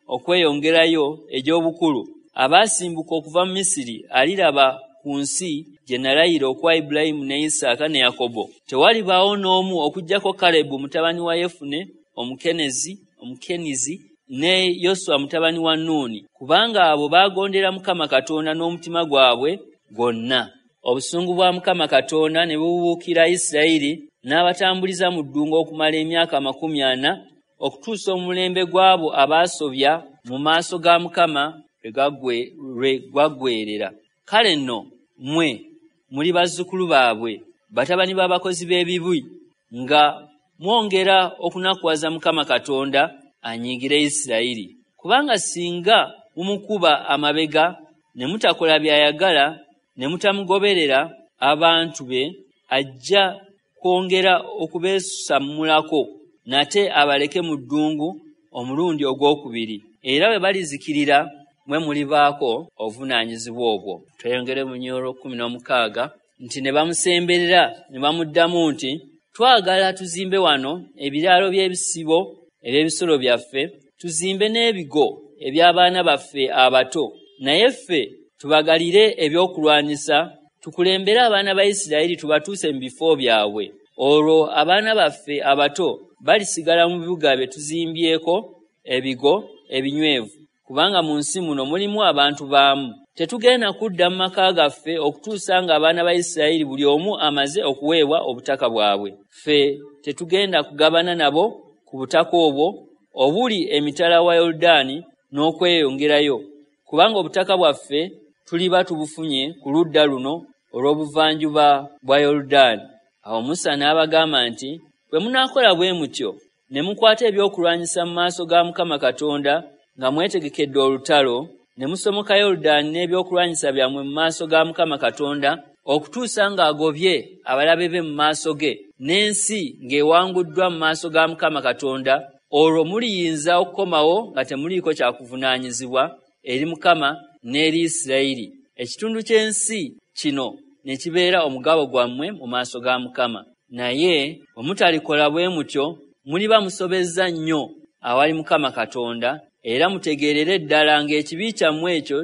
okweyongerayo egy'obukulu abaasimbuka okuva mu Misiri aliraba ku nsi gye nalayira okuwa Ibulayimu ne Isaaka ne Yakobo. Tewalibaawo n'omu okuggyako Kalebu mutabani wa Yefune Omukenezi Omukenizi ne Yoswa mutabani wa Nuuni, kubanga abo baagondera Mukama Katonda n'omutima gwabwe gwonna. Obusungu bwa Mukama Katonda ne bubuukira Isirayiri, n'abatambuliza mu ddungu okumala emyaka amakumi ana, okutuusa omulembe gw'abo abaasobya mu maaso ga Mukama lwe gwaggweerera. Kale nno mmwe muli bazzukulu baabwe, batabani b'abakozi b'ebibi, nga mwongera okunakuwaza Mukama Katonda anyiigire Isirayiri. Kubanga singa mumukuba amabega ne mutakola by'ayagala ne mutamugoberera abantu be, ajja kwongera okubeesammulako nate abaleke mu ddungu omulundi ogwokubiri, era bwe balizikirira mwe mulibaako obuvunaanyizibwa obwo. Tweyongere mu nnyolo kkumi n'omukaaga nti ne bamusemberera ne bamuddamu nti twagala tuzimbe wano ebiraalo by'ebisibo eby'ebisolo byaffe, tuzimbe n'ebigo eby'abaana baffe abato, naye ffe tubagalire ebyokulwanyisa Tukulembere abaana ba Isirayiri tubatuuse mu bifo byabwe. Olwo abaana baffe abato balisigala mu bibuga bye tuzimbyeko ebigo ebinywevu, kubanga mu nsi muno mulimu abantu baamu. Tetugenda kudda mu maka gaffe okutuusa nga abaana ba Isirayiri buli omu amaze okuweebwa obutaka bwabwe. Ffe tetugenda kugabana nabo ku butaka obwo obuli emitala wa Yoludaani n'okweyongerayo, kubanga obutaka bwaffe tuliba tubufunye ku ludda luno olw'obuvanjuba bwa Yoludaani. Awo Musa n'abagamba nti, bwe munaakola bwe mutyo ne mukwata ebyokulwanyisa mu maaso ga Mukama Katonda nga mwetegekedde olutalo, ne musomoka Yoludaani n'ebyokulwanyisa byammwe mu maaso ga Mukama Katonda okutuusa ng'agobye abalabe be mu maaso ge, n'ensi ng'ewanguddwa mu maaso ga Mukama Katonda, olwo muliyinza okukomawo nga temuliiko kyakuvunaanyizibwa eri Mukama n'eri Isirayiri. Ekitundu ky'ensi kino ne kibeera omugabo gwammwe mu maaso ga Mukama. Naye bwe mutalikola bwe mutyo, muliba musobezza nnyo awali Mukama Katonda, era mutegeerere ddala ng'ekibi kyammwe ekyo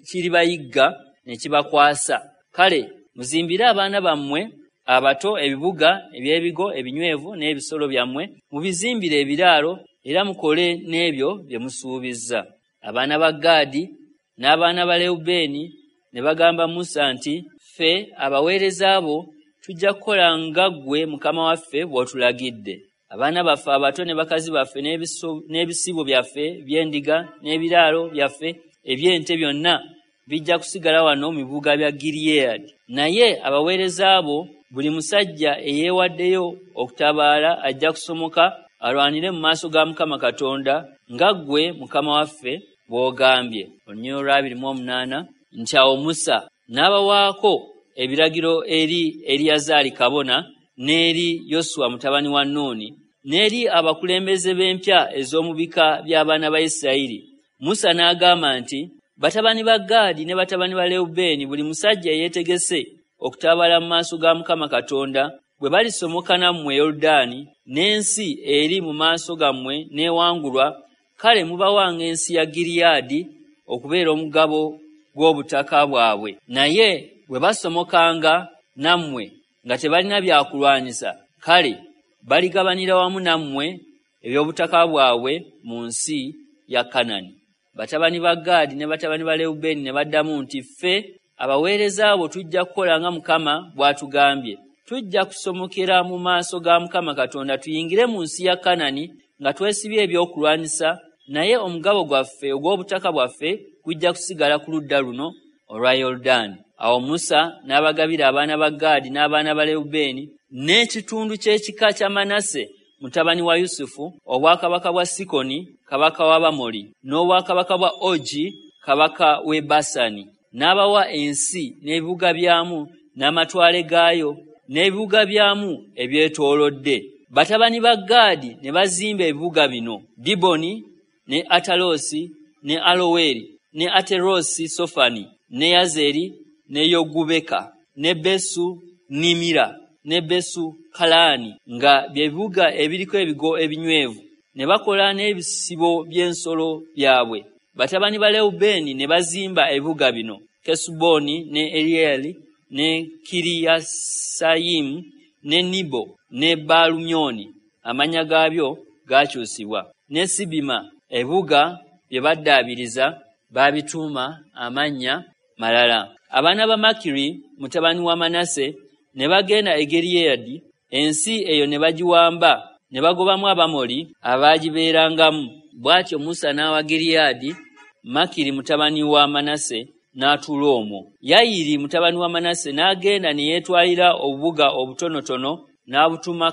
kiribayigga ne kibakwasa. Kale muzimbire abaana bammwe abato ebibuga eby'ebigo ebinywevu n'ebisolo byammwe, mubizimbire ebiraalo, era mukole n'ebyo bye musuubizza. Abaana ba Gaadi n'abaana ba Lewubeeni ne bagamba Musa nti, ffe abaweereza bo tujja kukola nga ggwe Mukama waffe bw'otulagidde. Abaana baffe abato ne bakazi baffe n'ebisibo byaffe by'endiga n'ebiraalo byaffe eby'ente byonna bijja kusigala wano mu bibuga bya Gileadi. Naye abaweereza bo buli musajja eyeewaddeyo okutabaala ajja kusomoka alwanire mu maaso ga Mukama Katonda nga ggwe Mukama waffe bw'ogambye. Olunyiriri olwa abiri mu omunaana nti awo Musa n'abawaako ebiragiro eri Eriyazaali kabona n'eri Yoswa mutabani wa Nuuni n'eri abakulembeze b'empya ez'omu bika by'abaana ba Isirayiri. Musa n'agamba nti, batabani ba Gaadi ne batabani ba Lewubeeni buli musajja eyeetegese okutabaala mu maaso ga Mukama Katonda bwe balisomoka nammwe Yoludaani n'ensi eri mu maaso gammwe n'ewangulwa, kale mubawanga ensi ya Gileadi okubeera omugabo gw'obutaka bwabwe. Naye bwe basomokanga nammwe nga tebalina byakulwanyisa, kale baligabanira wamu nammwe eby'obutaka bwabwe mu nsi ya Kanani. Batabani ba Gaadi ne batabani ba Lewubeeni ne baddamu nti, ffe abaweereza bo tujja kukola nga Mukama bw'atugambye. Tujja kusomokera mu maaso ga Mukama Katonda tuyingire mu nsi ya Kanani nga twesibye ebyokulwanyisa, naye omugabo gwaffe ogw'obutaka bwaffe gujja kusigala ku ludda luno olwa Yoludaani. Awo Musa n'abagabira abaana ba Gaadi n'abaana ba Lewubeeni n'ekitundu ky'ekika kya Manase mutabani wa Yusufu, obwakabaka bwa Sikoni kabaka w'Abamoli n'obwakabaka bwa Ogi kabaka w'e Basani. N'abawa ensi n'ebibuga byamu n'amatwale gaayo n'ebibuga byamu ebyetoolodde. Batabani ba Gaadi ne bazimba ebibuga bino: Diboni ne Atalosi ne Aloweri ne Aterosi Sofani ne Yazeri ne Yogubeka ne Besu Nimira ne Besu Kalaani, nga bye bibuga ebiriko ebigo ebinywevu. Ne bakola n'ebisibo by'ensolo byabwe. Batabani ba Lewubeeni ne bazimba ebibuga bino: Kesuboni ne Erieri ne Kiriyasayimu ne Nibo ne Baalumyoni, amannya gaabyo gaakyusibwa, ne Sibima. Ebibuga bye baddaabiriza baabituuma amannya malala. Abaana ba Makiri mutabani wa Manase ne bagenda e Gileadi, ensi eyo ne bagiwamba ne bagobamu Abamoli abaagibeerangamu. Bw'atyo Musa n'awa Gileadi Makiri mutabani wa Manase n'atuula omwo. Yayiri mutabani wa Manase n'agenda ne yeetwalira obubuga obutonotono n'abutuma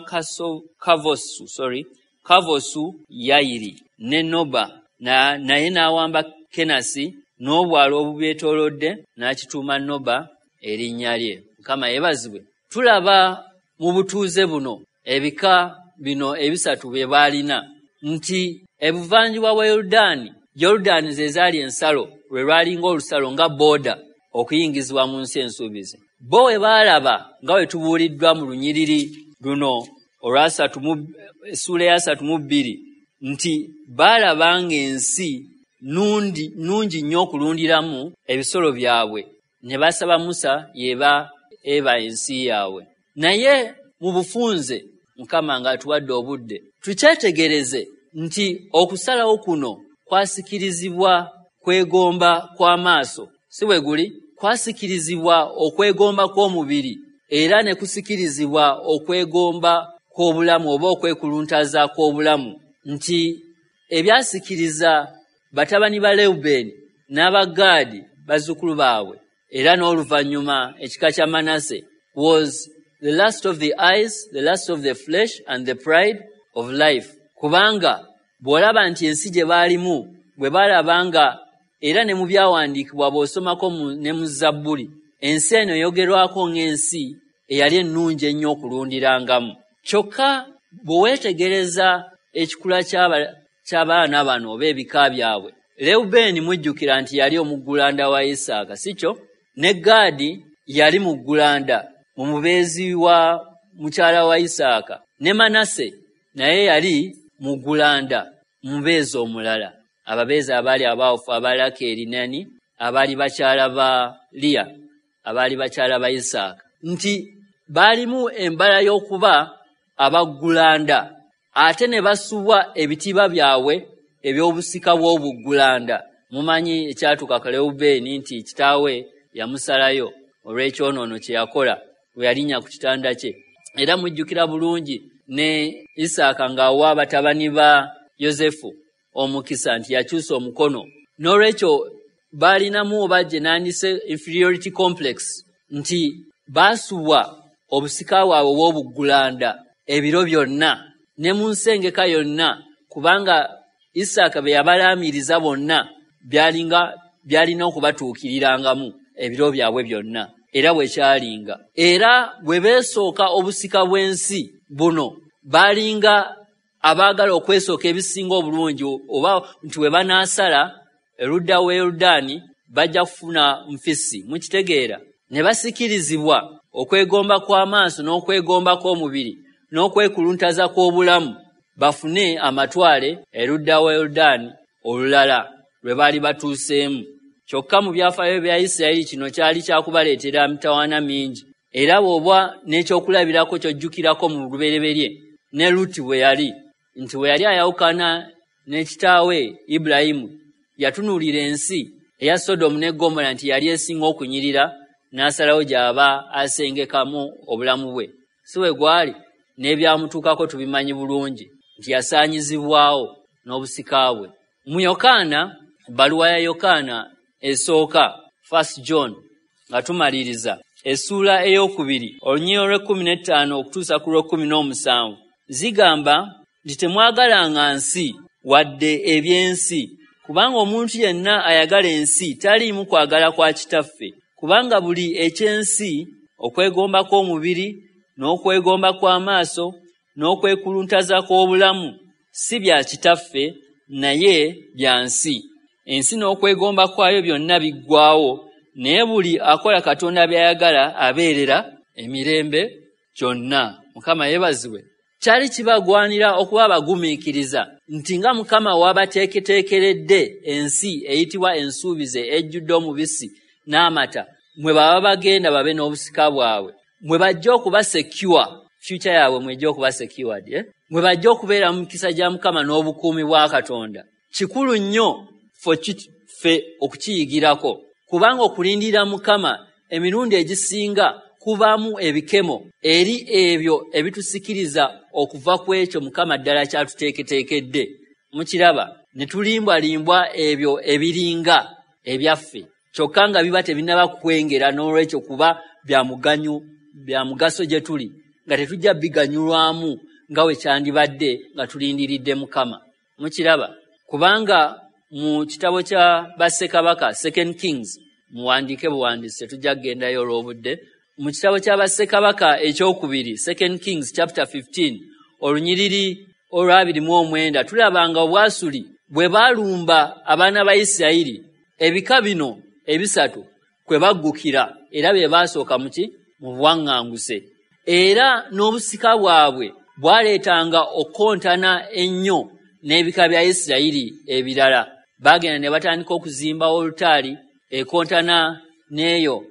Kavosu, sorry, Kavosu Yayiri ne Noba, na, naye n'awamba Kenasi n'obwalo obubyetoolodde n'akituuma Noba erinnya lye. Mukama yeebazibwe. Tulaba mu butuuze buno ebika bino ebisatu bye baalina nti ebuvanjuba bwa Yoludaani, Yoludaani ze zaali ensalo, lwe lwalinga olusalo nga booda okuyingizibwa mu nsi ensuubize. Bo we baalaba nga bwe tubuuliddwa mu lunyiriri luno olwasatu mu essuula eyasatu mu bbiri nti baalaba ng'ensi nnungi nnyo okulundiramu ebisolo byabwe, Ne basaba Musa yeba eba ensi yaabwe. Naye mu bufunze Mukama ng'atuwadde obudde, tukyetegereze nti okusalawo kuno kwasikirizibwa kwegomba kw'amaaso, si bwe guli? Kwasikirizibwa okwegomba kw'omubiri, era ne kusikirizibwa okwegomba kw'obulamu oba okwekuluntaza kw'obulamu, nti ebyasikiriza batabani ba Lewubeeni n'Abagaadi bazzukulu baabwe, era n'oluvannyuma ekika kya Manase, was the lust of the eyes, the lust of the flesh and the pride of life. Kubanga bw'olaba nti ensi gye baalimu bwe baalaba nga, era ne mu byawandiikibwa bw'osomako ne mu Zabbuli, ensi eno eyogerwako ng'ensi eyali ennungi ennyo okulundirangamu. Kyokka bwe weetegereza ekikula ky'abaana bano oba ebika byabwe, Lewubeeni mujjukira nti yali omuggulanda wa Isaaka, si kyo? Ne Gaadi yali muggulanda mu mubeezi wa mukyala wa Isaaka, ne Manase naye yali muggulanda mubeezi omulala, ababeezi abaali abaawufu aba Lakeeri nani abaali bakyala ba Liya, abaali bakyala ba Isaaka, nti baalimu embala y'okuba abaggulanda, ate ne basubwa ebitiibwa byabwe eby'obusika bw'obuggulanda. Mumanyi ekyatuuka ku Lewubeeni nti kitaawe yamusalayo olw'ekyonoono kye yakola bwe yalinnya ku kitanda kye. Era mujjukira bulungi ne Isaaka ng'awa batabani ba Yosefu omukisa nti yakyusa omukono. N'olwekyo baalinamu oba gye nandise inferiority complex, nti baasubwa obusika bwabwe obw'obuggulanda ebiro byonna ne mu nsengeka yonna, kubanga Isaaka bye yabalaamiriza bonna byalinga byalina okubatuukirirangamu ebiro byabwe byonna, era bwe kyalinga. Era bwe beesooka obusika bw'ensi buno, baalinga abaagala okwesooka ebisinga obulungi, oba nti bwe banaasala erudda w'e Yoludaani bajja kufuna nfisi. Mukitegeera? Ne basikirizibwa okwegomba kw'amaaso n'okwegomba kw'omubiri n'okwekuluntaza kw'obulamu, bafune amatwale erudda w'e Yoludaani olulala lwe baali batuuseemu. Kyokka mu byafaayo bya Isirayiri kino kyali kyakubaleetera mitawaana mingi, era bw'oba n'ekyokulabirako ky'ojjukirako mu lubereberye ne Luti bwe yali, nti bwe yali ayawukana ne kitaawe Ibulayimu, yatunuulira ensi eya Sodomu ne Ggomola nti yali esinga okunyirira, n'asalawo gy'aba asengekamu obulamu bwe. Si bwe gwali? N'ebyamutuukako tubimanyi bulungi nti yasaanyizibwawo n'obusika bwe. Mu Yokaana, ebbaluwa ya Yokaana esooka, First John, nga tumaliriza, essuula ey'okubiri olunyiriri olw'ekkumi n'ettaano okutuusa ku lw'ekkumi n'omusanvu, zigamba nti temwagalanga nsi wadde eby'ensi, kubanga omuntu yenna ayagala ensi taliimu kwagala kwa Kitaffe. Kubanga buli eky'ensi, okwegomba kw'omubiri n'okwegomba kw'amaaso n'okwekuluntaza kw'obulamu, si bya Kitaffe naye bya nsi. Ensi n'okwegomba kwayo byonna biggwaawo, naye buli akola Katonda by'ayagala abeerera emirembe gyonna. Mukama yeebazibwe. Kyali kibagwanira okuba abagumiikiriza nti nga Mukama w'abateeketeekeredde ensi eyitibwa ensuubize ejjudde omubisi n'amata, mwe baba bagenda babe n'obusika bwabwe, mwe bajja okuba secure, future yaabwe mwejja okuba secured, eh? Mwe bajja okubeera mu mikisa gya Mukama n'obukuumi bwa Katonda. Kikulu nnyo ffe okukiyigirako, kubanga okulindirira Mukama emirundi egisinga kubaamu ebikemo eri ebyo ebitusikiriza okuva ku ekyo Mukama ddala kyatuteeketeekedde. Mukiraba, ne tulimbwalimbwa ebyo ebiringa ebyaffe, kyokka nga biba tebinnaba kwengera, n'olwekyo kuba bya muganyu bya mugaso gye tuli, nga tetujja biganyulwamu nga bwe kyandibadde nga tulindiridde Mukama. Mukiraba, kubanga mu kitabo kya Bassekabaka, Second Kings, muwandiike buwandiisi, tetujja kugendayo olw'obudde. Mu kitabo kya Bassekabaka ekyokubiri, Second Kings chapter fifteen, olunyiriri olw'abiri mu omwenda, tulaba nga Obwasuli bwe baalumba abaana ba Isirayiri, ebika bino ebisatu kwe baggukira, era bye baasooka mu ki? Mu buwaŋŋanguse. Era n'obusika bwabwe bwaleetanga okukontana ennyo n'ebika bya Isirayiri ebirala. Baagenda ne batandika okuzimba olutaali ekontana n'eyo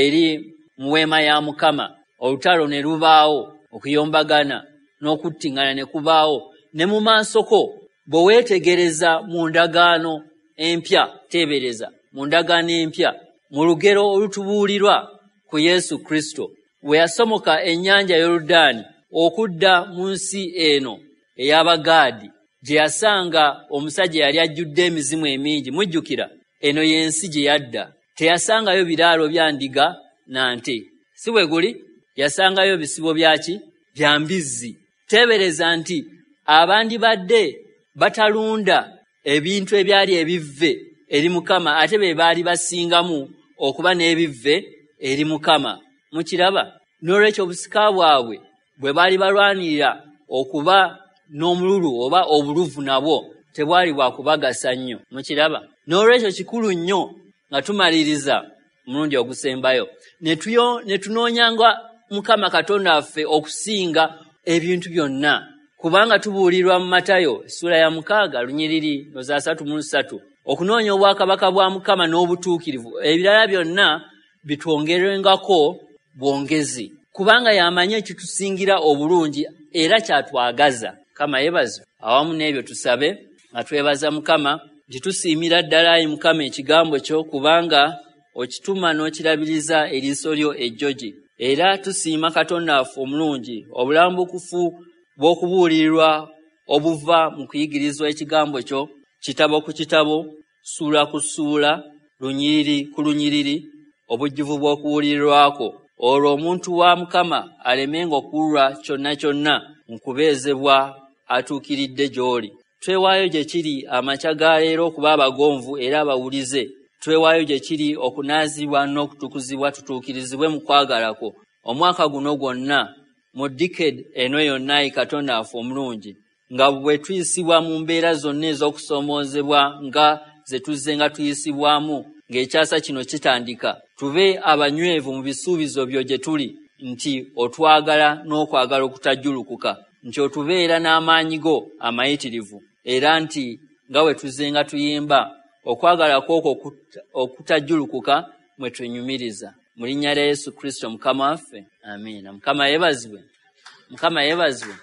eri mu weema ya Mukama. Olutalo ne lubaawo, okuyombagana n'okuttiŋŋana ne kubaawo. Ne mu maaso ko bwe weetegereza mu ndagaano empya, teebereza mu ndagaano empya, mu lugero olutubuulirwa ku Yesu Kristo, we yasomoka ennyanja Yoludaani okudda mu nsi eno ey'Abagaadi, gye yasanga omusajja yali ajjudde emizimu emingi. Mujjukira, eno y'ensi gye yadda. Teyasangayo biraalo bya ndiga na nte, si bwe guli? Yasangayo bisibo byaki? Bya mbizzi. Teebereza nti abandibadde batalunda ebintu ebyali ebivve eri Mukama, ate be baali basingamu okuba n'ebivve eri Mukama. Mukiraba? N'olwekyo obusika bwabwe bwe baali balwanirira okuba n'omululu oba obuluvu nabwo tebwali bwa kubagasa nnyo. Mukiraba? N'olwekyo kikulu nnyo nga tumaliriza omulundi ogusembayo ne tunoonyanga Mukama Katonda waffe okusinga ebintu byonna, kubanga tubuulirwa mu Matayo ssuula ya mukaaga lunyiriri noza asatu mu ssatu okunoonya obwakabaka bwa Mukama n'obutuukirivu, ebirala byonna bitwongerwengako bwongezi, kubanga y'amanyi ekitusingira obulungi era kyatwagaza. Mukama yeebazibwe. Awamu n'ebyo tusabe nga twebaza Mukama nti tusiimira ddala ayi Mukama ekigambo kyo, kubanga okituma n'okirabiriza eriiso lyo ejjogi. Era tusiima Katonda waffe omulungi obulambukufu bw'okubuulirirwa obuva mu kuyigirizwa ekigambo kyo, kitabo ku kitabo, ssuula ku ssuula, lunyiriri ku lunyiriri, obujjuvu bw'okubuulirirwako, olwo omuntu wa Mukama alemenga okuwulwa kyonna kyonna mu kubeezebwa atuukiridde gy'oli. Twewaayo gye kiri amakya ga leero okuba abagonvu era abawulize. Twewaayo gye kiri okunaazibwa n'okutukuzibwa tutuukirizibwe mu kwagala kwo omwaka guno gwonna, mu decade eno yonna, ayi Katonda waffe omulungi, nga bwe tuyisibwa mu mbeera zonna ez'okusoomoozebwa nga ze tuzze nga tuyisibwamu ng'ekyasa kino kitandika, tube abanywevu mu bisuubizo byo gye tuli, nti otwagala n'okwagala okutajjulukuka, nti otubeera n'amaanyi go amayitirivu, era nti nga bwe tuzze nga tuyimba okwagala kwokwo okutajjulukuka mwe twenyumiriza. Mu linnya lya Yesu Kristo Mukama waffe, amiina. Mukama yeebazibwe. Mukama yeebazibwe.